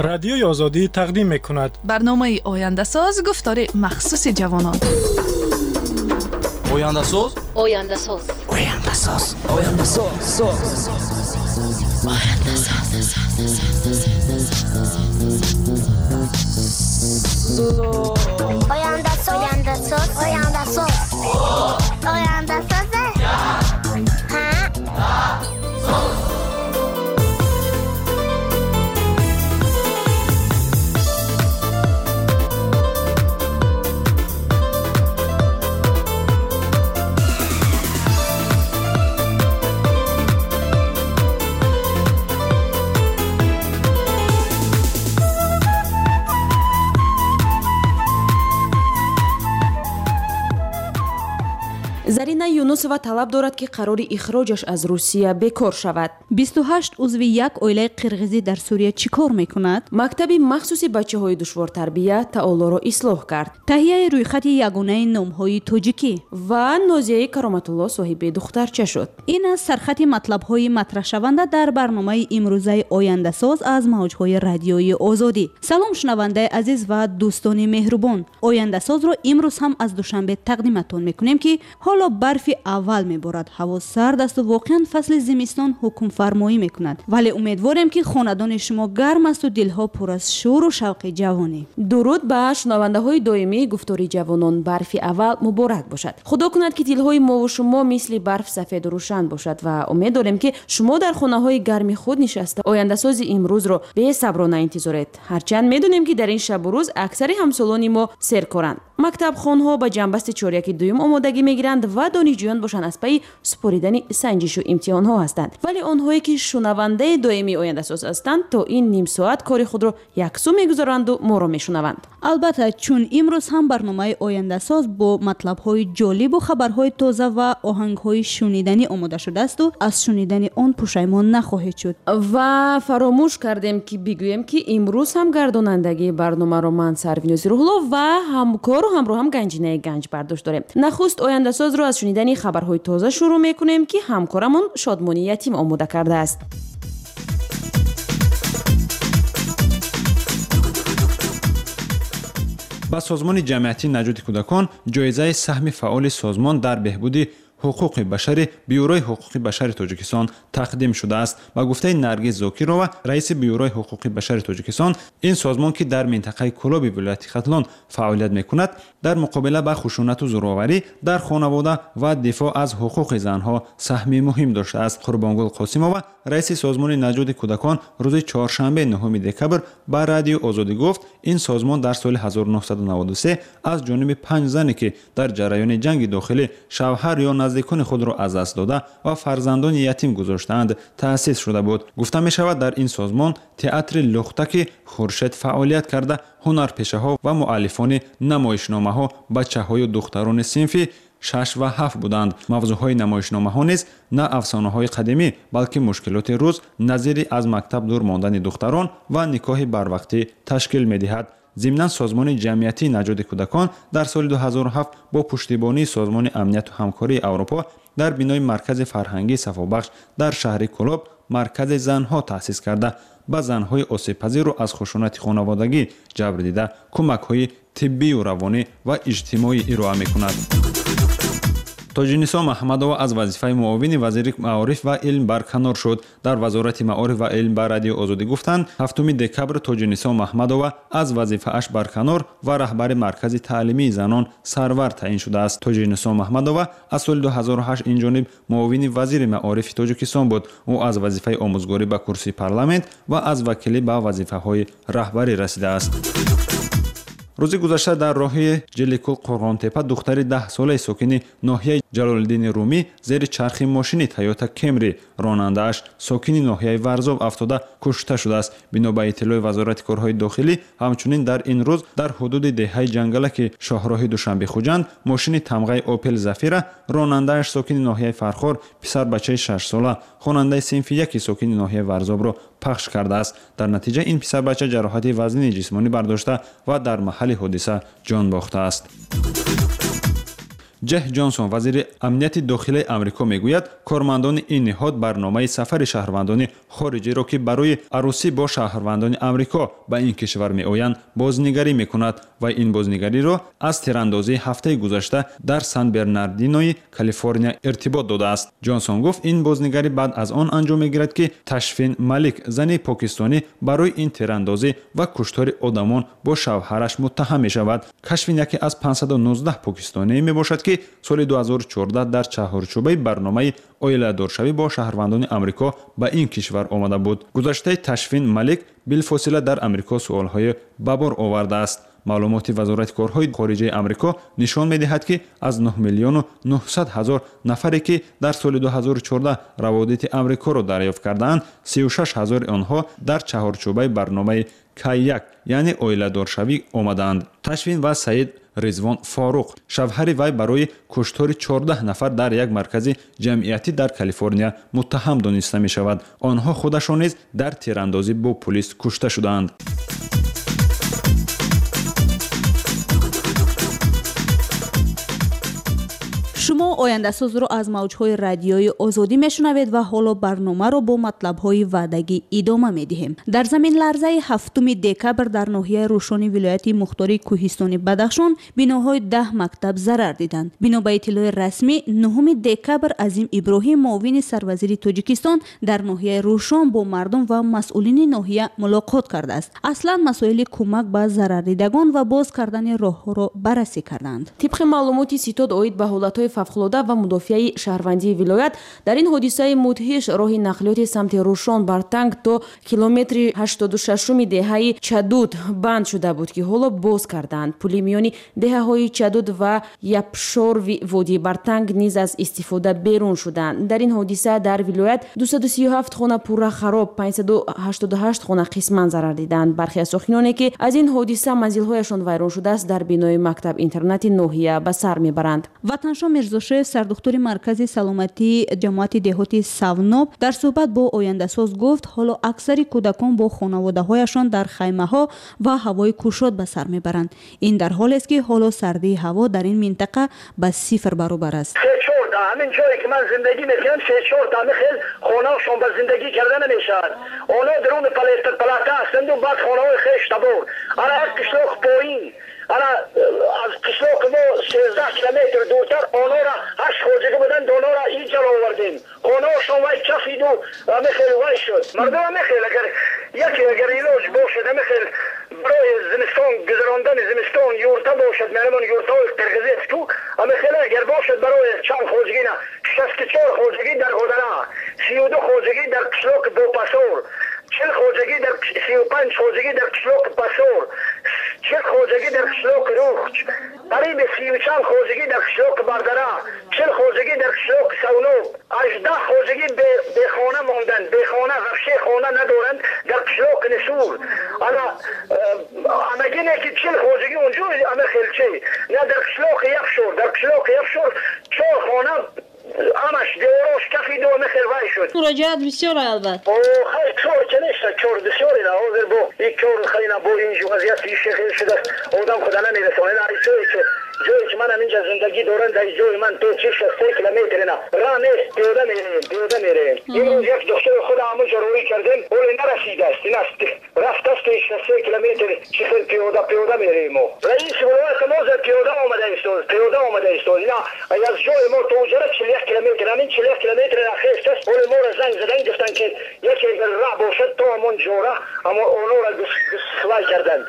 Радиои Озодӣ тақдим мекунад. Барномаи Ояндасоз, гуфтори махсуси ҷавонон. Ояндасоз. Ояндасоз. Ояндасоз. Ояндасоз. Ояндасоз. Ояндасоз. Ояндасоз. Ояндасоз. Зарина Юнусова талаб дорад, ки қарори ихроҷаш аз Русия бекор шавад. 28 узви як оилаи қирғизӣ дар Сурия чӣ кор мекунад? Мактаби махсуси бачаҳои душвортарбия таолоро ислоҳ кард. Таҳияи рӯйхати ягонаи номҳои тоҷикӣ. Ва Нозияи Кароматулло соҳиби духтарча шуд. Ин аз сархати матлабҳои матраҳшаванда дар барномаи имрӯзаи Ояндасоз аз мавҷҳои радиои Озодӣ. Салом, шунавандаи азиз ва дӯстони меҳрубон. Ояндасозро имрӯз ҳам аз Душанбе тақдиматон мекунем, ки ҳоло барфи аввал меборад, ҳаво сард асту воқеан фасли зимистон ҳукмфармоӣ мекунад. Вале умедворем, ки хонадони шумо гарм асту дилҳо пур аз шӯру шавқи ҷавонӣ. Дуруд ба шунавандаҳои доимии гуфтори ҷавонон. Барфи аввал муборак бошад. Худо кунад, ки дилҳои мову шумо мисли барф сафеду рӯшан бошад ва умед дорем, ки шумо дар хонаҳои гарми худ нишаста ояндасози имрӯзро бесаброна интизоред. Ҳарчанд медонем, ки дар ин шабу рӯз аксари ҳамсолони мо серкоранд. Мактабхонҳо ба ҷанбасти чоряки дуюм омодагӣ мегиранд ва донишҷӯён бошанд аз пайи супоридани санҷишу имтиҳонҳо ҳастанд. Вале онҳое, ки шунавандаи доимии Ояндасоз ҳастанд, то ин ним соат кори худро яксӯ мегузоранду моро мешунаванд. Албатта, чун имрӯз ҳам барномаи Ояндасоз бо матлабҳои ҷолибу хабарҳои тоза ва оҳангҳои шуниданӣ омода шудаасту аз шунидани он пушаймон нахоҳед шуд. Ва фаромӯш кардем, ки бигӯем, ки имрӯз ҳам гардонандагии барномаро ман, Сарвинози Рӯҳулло, ва ҳамкору ҳамроҳам Ганҷинаи Ганҷ бардошт дорем. Нахуст Ояндасозро аз шунидани хабарҳои тоза шурӯъ мекунем, ки ҳамкорамон Шодмони Ятим омода кардааст. Ба созмони ҷамъиятии наҷоти кӯдакон ҷоизаи саҳми фаъоли созмон дар беҳбуди ҳуқуқи башари Бюрои ҳуқуқи башари Тоҷикистон тақдим шудааст. Ба гуфтаи Наргиз Зокирова, раиси Бюрои ҳуқуқи башари Тоҷикистон, ин созмон, ки дар минтақаи Кӯлоби вилояти Хатлон фаъолият мекунад, дар муқобила ба хушунату зӯроварӣ дар хонавода ва дифоъ аз ҳуқуқи занҳо саҳми муҳим доштааст. Қурбонгул Қосимова, раиси созмони наҷоти кӯдакон, рӯзи чоршанбе 9 декабр ба Радиои Озодӣ гуфт, ин созмон дар соли 1993 аз ҷониби панҷ зане, ки дар ҷараёни ҷанги дохилӣ шавҳар ё наздикони худро аз даст дода ва фарзандони ятим гузоштаанд, таъсис шуда буд. Гуфта мешавад, дар ин созмон театри Лухтаки Хуршед фаъолият карда, ҳунарпешаҳо ва муаллифони намоишномаҳо бачаҳою духтарони синфи 6 ва 7 буданд. Мавзӯъҳои намоишномаҳо низ на афсонаҳои қадимӣ, балки мушкилоти рӯз, назири аз мактаб дур мондани духтарон ва никоҳи барвақтӣ ташкил медиҳад. Зимнан созмони ҷамъиятии наҷоти кӯдакон дар соли 2007 бо пуштибонии Созмони амнияту ҳамкории Аврупо дар бинои маркази фарҳангии Сафобахш дар шаҳри Кӯлоб маркази занҳо таъсис карда, ба занҳои осебпазиру аз хушунати хонаводагӣ ҷабр дида кӯмакҳои тиббию равонӣ ва иҷтимоӣ ироа мекунад. Тоҷинисо Маҳмадова аз вазифаи муовини вазири маориф ва илм барканор шуд. Дар Вазорати маориф ва илм ба Радиои Озодӣ гуфтанд, 7 декабр Тоҷинисо Маҳмадова аз вазифааш барканор ва раҳбари маркази таълимии занон Сарвар таъин шудааст. Тоҷинисо Маҳмадова аз соли 2008 инҷониб муовини вазири маорифи Тоҷикистон буд. Ӯ аз вазифаи омӯзгорӣ ба курсии парламент ва аз вакилӣ ба вазифаҳои раҳбарӣ расидааст. Рӯзи гузашта дар роҳи Ҷиликул Қурғонтепа духтари 10-солаи сокини ноҳияи Ҷалолиддини Румӣ зери чархи мошини Тойота Кемри ронандааш сокини ноҳияи Варзоб афтода кушта шудааст. Бино ба иттилои Вазорати корҳои дохилӣ, ҳамчунин дар ин рӯз дар ҳудуди деҳаи Ҷангалаки шоҳроҳи Душанбе-Хуҷанд мошини тамғаи Опел Зафира ронандааш сокини ноҳияи Фархор писарбачаи 6-сола хонандаи синфи 1 сокини ноҳияи Варзобро пахш кардааст. Дар натиҷа ин писарбача ҷароҳати вазнини ҷисмонӣ бардошта ва дар маҳалли ҳодиса ҷон бохтааст. Ҷеҳ Ҷонсон, вазири амнияти дохилаи Амрико, мегӯяд, кормандони ин ниҳод барномаи сафари шаҳрвандони хориҷиро, ки барои арӯсӣ бо шаҳрвандони Амрико ба ин кишвар меоянд, бознигарӣ мекунад ва ин бознигариро аз тирандозии ҳафтаи гузашта дар Сан Бернардинои Калифорния иртибот додааст. Ҷонсон гуфт, ин бознигарӣ баъд аз он анҷом мегирад, ки Ташфин Малик, зани покистонӣ, барои ин тирандозӣ ва куштори одамон бо шавҳараш муттаҳам мешавад. Кашфин яке аз 519 покистонӣ мебошад, ки соли 2014 дар чаҳорчӯбаи барномаи оиладоршавӣ бо шаҳрвандони Амрико ба ин кишвар омада буд. Гузаштаи Ташфин Малик билфосила дар Амрико суолҳои ба бор овардааст. Маълумоти Вазорати корҳои хориҷаи Амрико нишон медиҳад, ки аз 9 миллиону 900 ҳазор нафаре, ки дар соли 2014 раводити Амрикоро дарёфт кардаанд, 36 ҳазори онҳо дар чаҳорчӯбаи барномаи К1, яъне оиладоршавӣ, омадаанд. Ташвин ва Саид Ризвон Форуқ, шавҳари вай, барои куштори 14 нафар дар як маркази ҷамъиятӣ дар Калифорния муттаҳам дониста мешавад. Онҳо худашон низ дар тирандозӣ бо пулис кушта шудаанд. Шумо Ояндасозро аз мавҷҳои радиои Озодӣ мешунавед ва ҳоло барномаро бо матлабҳои ваъдагӣ идома медиҳем. Дар заминларзаи 7 декабр дар ноҳияи Рӯшони вилояти мухтори Кӯҳистони Бадахшон биноҳои 10 мактаб зарар диданд. Бино ба иттилои расмӣ, 9 декабр Азим Иброҳим, муовини сарвазири Тоҷикистон, дар ноҳияи Рӯшон бо мардум ва масъулини ноҳия мулоқот кардааст. Аслан масоили кӯмак ба зарардидагон ва боз кардани роҳҳоро баррасӣ карданд. Тибқи маълумоти ситод оид ба ҳолатҳои фавқулода ва мудофиаи шаҳрвандии вилоят, дар ин ҳодисаи мудҳиш роҳи нақлиёти самти Рӯшон Бартанг то километри 86-уми деҳаи Чадуд банд шуда буд, ки ҳоло боз карданд. Пули миёни деҳаҳои Чадуд ва Япшорви водии Бартанг низ аз истифода берун шуданд. Дар ин ҳодиса дар вилоят 237 хона пурра хароб, 588 хона қисман зарар диданд. Бархе аз сокиноне, ки аз ин ҳодиса манзилҳояшон вайрон шудааст, дар бинои мактаб-интернати ноҳия ба сар мебаранд. Ватаншо Мирзошоев, сардухтури маркази саломатии ҷамоати деҳоти Савноб, дар суҳбат бо Ояндасоз гуфт, ҳоло аксари кӯдакон бо хонаводаҳояшон дар хаймаҳо ва ҳавои кушод ба сар мебаранд. Ин дар ҳолест, ки ҳоло сардии ҳаво дар ин минтақа ба сифр баробар аст. Ҳамин ҷое ки ман зиндагӣ мекунам, се-чор та хел хонаашон ба зиндагӣ карда намешавад. Онҳо даруни палата ҳастанд, баъд хонаҳои хеш табор. Ана як қишлоқ поин, ана аз қишлоқи мо 13 километр дуртар, онҳоро 8 хоҷагӣ буданд, онҳоро инҷа овардем. Хонаашон вай кафиду ҳамин вай шуд. Мардум ҳамин хел, агар яке агар илоҷ бошад, ҳамин хел барои зимистон гузарондани зимистон юрта бошад, меҳмон юртаҳои қирғизӣ аст ку, ҳамин хел агар бошад барои чанд хоҷагӣ, на 64 хоҷагӣ дар Ҳодана, 32 хоҷагӣ дар қишлоқи Бопасор, 40 хоҷагӣ дар 35 хоҷагӣ дар қишлоқи Пасор, 40 хоҷагӣ дар қишлоқи Рухч, қариби 30 чанд хоҷагӣ дар қишлоқи Бардара, 40 хоҷагӣ дар қишлоқи Савноб, 18 хоҷагӣ бехона монданд, бехона, вообще хона надоранд дар қишлоқи Нисур. Ана амагине ки 40 хоҷагӣ унҷо ама хелчи на дар қишлоқи Яфшор, дар қишлоқи Яфшор чор хона ҳамаш деворош кафиду ама хел вай шуд. Муроҷиат бисёр албат. Хай кор ки нест, кор бисёре на ҳозир бо ин кор хайна бо ин вазъият хел шудааст, одам худа намерасонад. Ҷое ки ҷое ки манам инҷа зиндагӣ дорам, дар ҷои ман то 63 километр на роҳ нест, пиёда мерем, пиёда мерем. Имрӯз як духтури худа ҳамонҷо роҳӣ кардем, ҳоле нарасидааст, ин аст рафтааст 63 километр, чӣ хел пиёда пиёда мерем мо. Раиси вилояти мо пиёда омада истод, пиёда омада истод. Ина аз ҷои мо то уҷара 41 километр, ҳамин 41 километр хестааст. Ҳоле моро занг задан гуфтанд, ки яке агар роҳ бошад то ҳамон ҷора, аммо онҳоро гусвай карданд,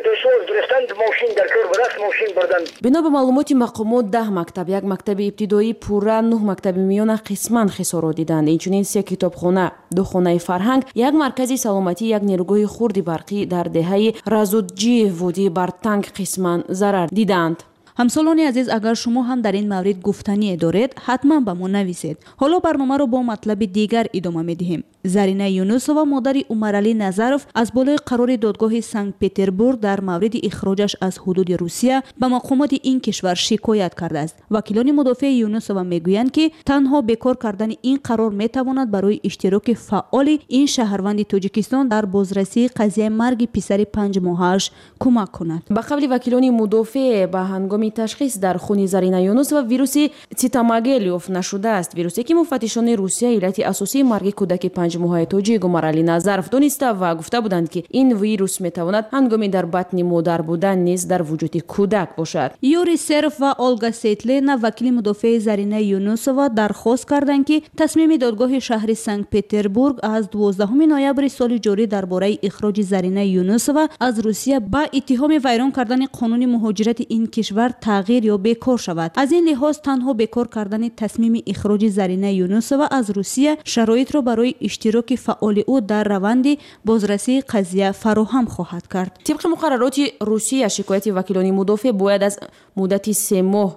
пешвоз гирифтанд, мошин дар кор будаст, мошин бурданд. Бино ба маълумоти мақомот, 10 мактаб, як мактаби ибтидоӣ пурра, нӯҳ мактаби миёна қисман хисорот диданд. Инчунин се китобхона, ду хонаи фарҳанг, як маркази саломатӣ, як нерӯгоҳи хурди барқӣ дар деҳаи Разудҷи водии Бартанг қисман зарар диданд. Ҳамсолони азиз, агар шумо ҳам дар ин маврид гуфтание доред, ҳатман ба мо нависед. Ҳоло барномаро бо матлаби дигар идома медиҳем. Зарина Юнусова, модари Умаралӣ Назаров, аз болои қарори додгоҳи Санкт-Петербург дар мавриди ихроҷаш аз ҳудуди Русия ба мақомоти ин кишвар шикоят кардааст. Вакилони мудофеи Юнусова мегӯянд, ки танҳо бекор кардани ин қарор метавонад барои иштироки фаъоли ин шаҳрванди Тоҷикистон дар бозрасии қазияи марги писари 5-моҳааш кӯмак кунад. Ба қавли вакилони мудофеъ, ба ҳангоми маросими ташхис дар хуни Зарина Юнусова вируси цитомегали ёфт нашудааст. Вирусе ки муфаттишони Русия иллати асосии марги кӯдаки панҷмоҳаи тоҷик Умаралӣ Назаров дониста ва гуфта буданд, ки ин вирус метавонад ҳангоми дар батни модар будан низ дар вуҷуди кӯдак бошад. Юрий Серов ва Олга Сейтлена, вакили мудофеи Зарина Юнусова, дархост карданд, ки тасмими додгоҳи шаҳри Санкт-Петербург аз 12 ноябри соли ҷорӣ дар бораи ихроҷи Зарина Юнусова аз Русия ба иттиҳоми вайрон кардани қонуни муҳоҷирати ин кишвар тағйир ё бекор шавад. Аз ин лиҳоз танҳо бекор кардани тасмими ихроҷи Зарина Юнусова аз Русия шароитро барои иштироки фаъоли ӯ дар раванди бозрасии қазия фароҳам хоҳад кард. Тибқи муқаррароти Русия, шикояти вакилони мудофеъ бояд аз муддати 3 моҳ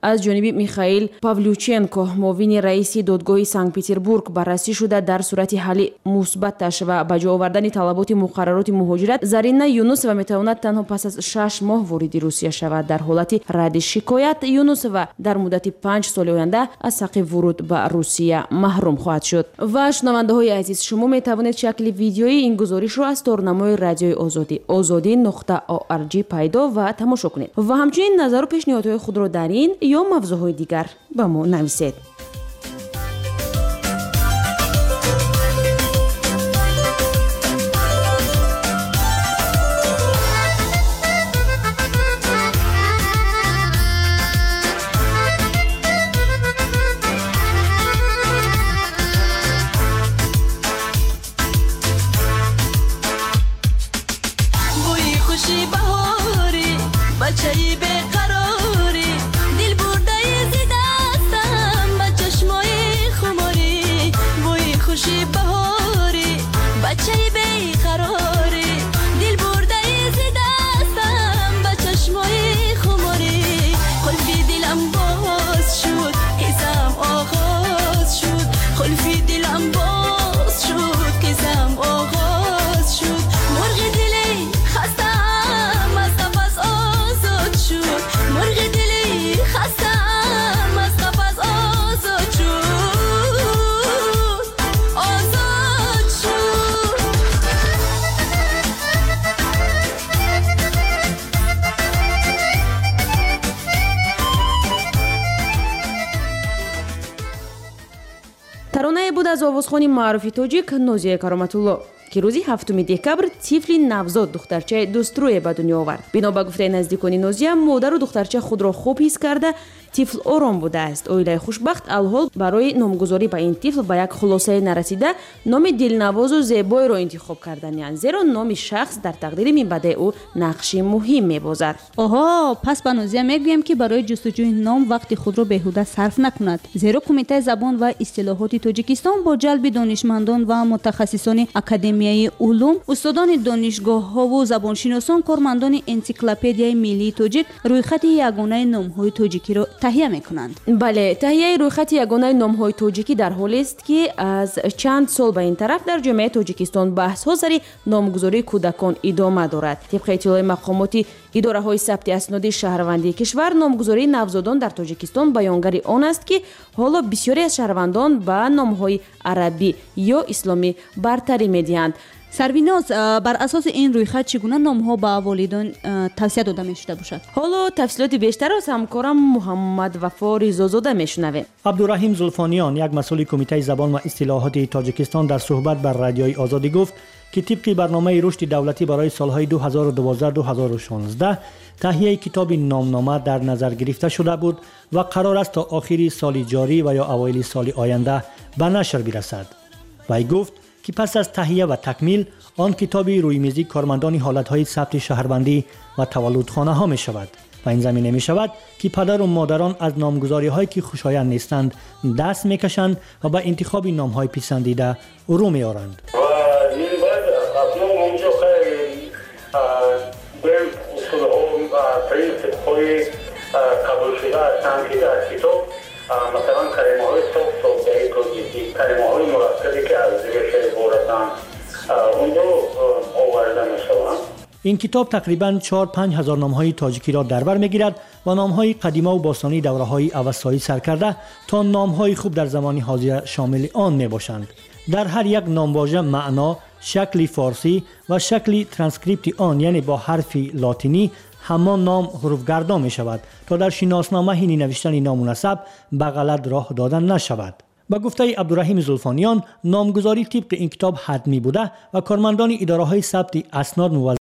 аз ҷониби Михаил Павлюченко, муовини раиси додгоҳи Санкт-Петербург, баррасӣ шуда, дар сурати ҳалли мусбаташ ва ба ҷо овардани талаботи муқаррароти муҳоҷират Зарина Юнусова метавонад танҳо пас аз 6 моҳ вориди Русия шавад. Дар ҳолати радди шикоят Юнусова дар муддати 5 соли оянда аз ҳаққи вуруд ба Русия маҳрум хоҳад шуд. Ва шунавандаҳои азиз, шумо метавонед шакли видеои ин гузоришро аз торнамои радиои Озодӣ ozodi.org пайдо ва тамошо кунед ва ҳамчунин назару пешниҳодҳои худро дар ин ё мавзӯъҳои дигар ба мо нависед. Бӯи хуши баҳорӣ, бачаи беқарорӣ, дил бурдаи зи дастам ба чашмои хуморӣ. Бӯи хуши баҳорӣ, бачаи беқарорӣ, дил бурдаи зи дастам ба чашмои хуморӣ. Қулфи дилам боз шуд, қиссам оғоз шуд. Қулфи дилам боз шуд, қиссам оғоз шуд. Мурғи дили хастаам аз қафас озод шуд. Мурғи дили хастаам аз қафас озод шуд. Озод шуд. Таронае буд аз овозхони маъруфи тоҷик Нозия Кароматулло, ки рӯзи 7 декабр тифли навзод духтарчаи дӯстрӯе ба дунё овард. Бино ба гуфтаи наздикони Нозия, модару духтарча худро хуб ҳис карда, тифл ором будааст. Оилаи хушбахт алҳол барои номгузорӣ ба ин тифл ба як хулосае нарасида, номи дилнавозу зебоеро интихоб карданианд, зеро номи шахс дар тақдири минбаъдаи ӯ нақши муҳим мебозад. Оҳо, пас ба Нозия мегӯем, ки барои ҷустуҷӯи ном вақти худро беҳуда сарф накунад, зеро Кумитаи забон ва истилоҳоти Тоҷикистон бо ҷалби донишмандон ва мутахассисони Академияи улум, устодони донишгоҳҳову забоншиносон, кормандони энсиклопедияи миллии тоҷик рӯйхати ягонаи номҳои тоҷикиро таҳия мекунанд. Бале, таҳияи рӯйхати ягонаи номҳои тоҷикӣ дар ҳолест, ки аз чанд сол ба ин тараф дар ҷомеаи Тоҷикистон баҳсҳо сари номгузории кӯдакон идома дорад. Тибқи иттилои мақомоти идораҳои сабти асноди шаҳрвандии кишвар, номгузории навзодон дар Тоҷикистон баёнгари он аст, ки ҳоло бисёре аз шаҳрвандон ба номҳои арабӣ ё исломӣ бартарӣ медиҳанд. Сарвиноз, бар асоси ин рӯйхат чӣ гуна номҳо ба волидон тавсия дода мешуда бошад? Ҳоло тафсилоти бештарро аз ҳамкорам Муҳаммад Вафо Ризозода мешунавем. Абдураҳим Зулфониён, як масъули Кумитаи забон ва истилоҳоти Тоҷикистон, дар суҳбат бар радиои Озодӣ гуфт, ки тибқи барномаи рушди давлатӣ барои солҳои 2012-2016 таҳияи китоби номнома дар назар гирифта шуда буд ва қарор аст то охири соли ҷорӣ ва ё аввали соли оянда ба нашр бирасад. Вай гуфт, ки пас аз таҳия ва такмил он китоби рӯймизии кормандони ҳолатҳои сабти шаҳрвандӣ ва таваллудхонаҳо мешавад ва ин замина мешавад, ки падару модарон аз номгузориҳое ки хушоянд нестанд даст мекашанд ва ба интихоби номҳои писандида рӯ меоранд. Принсипҳои қабулшуда ҳастанд, ки дар китоб масалан калимаҳои соф-софдаи тоҷикӣ, калимаҳои мураккабе ки аз реша иборатанд, онҷо оварда мешаванд. Ин китоб тақрибан 4-5 ҳазор номҳои тоҷикиро дар бар мегирад ва номҳои қадимаву бостонии давраҳои авастсоӣ сар карда то номҳои хуб дар замони ҳозира шомили он мебошанд. Дар ҳар як номвожа маъно, шакли форсӣ ва шакли транскрипти он, яъне бо ҳарфи лотинӣ, ҳамон ном ҳуруфгардон мешавад, то дар шиноснома ҳини навиштани ному насаб ба ғалат роҳ дода нашавад. Ба гуфтаи Абдураҳими Зулфониён, номгузорӣ тибқи ин китоб ҳатмӣ буда ва кормандони идораҳои сабти аснод муваззаф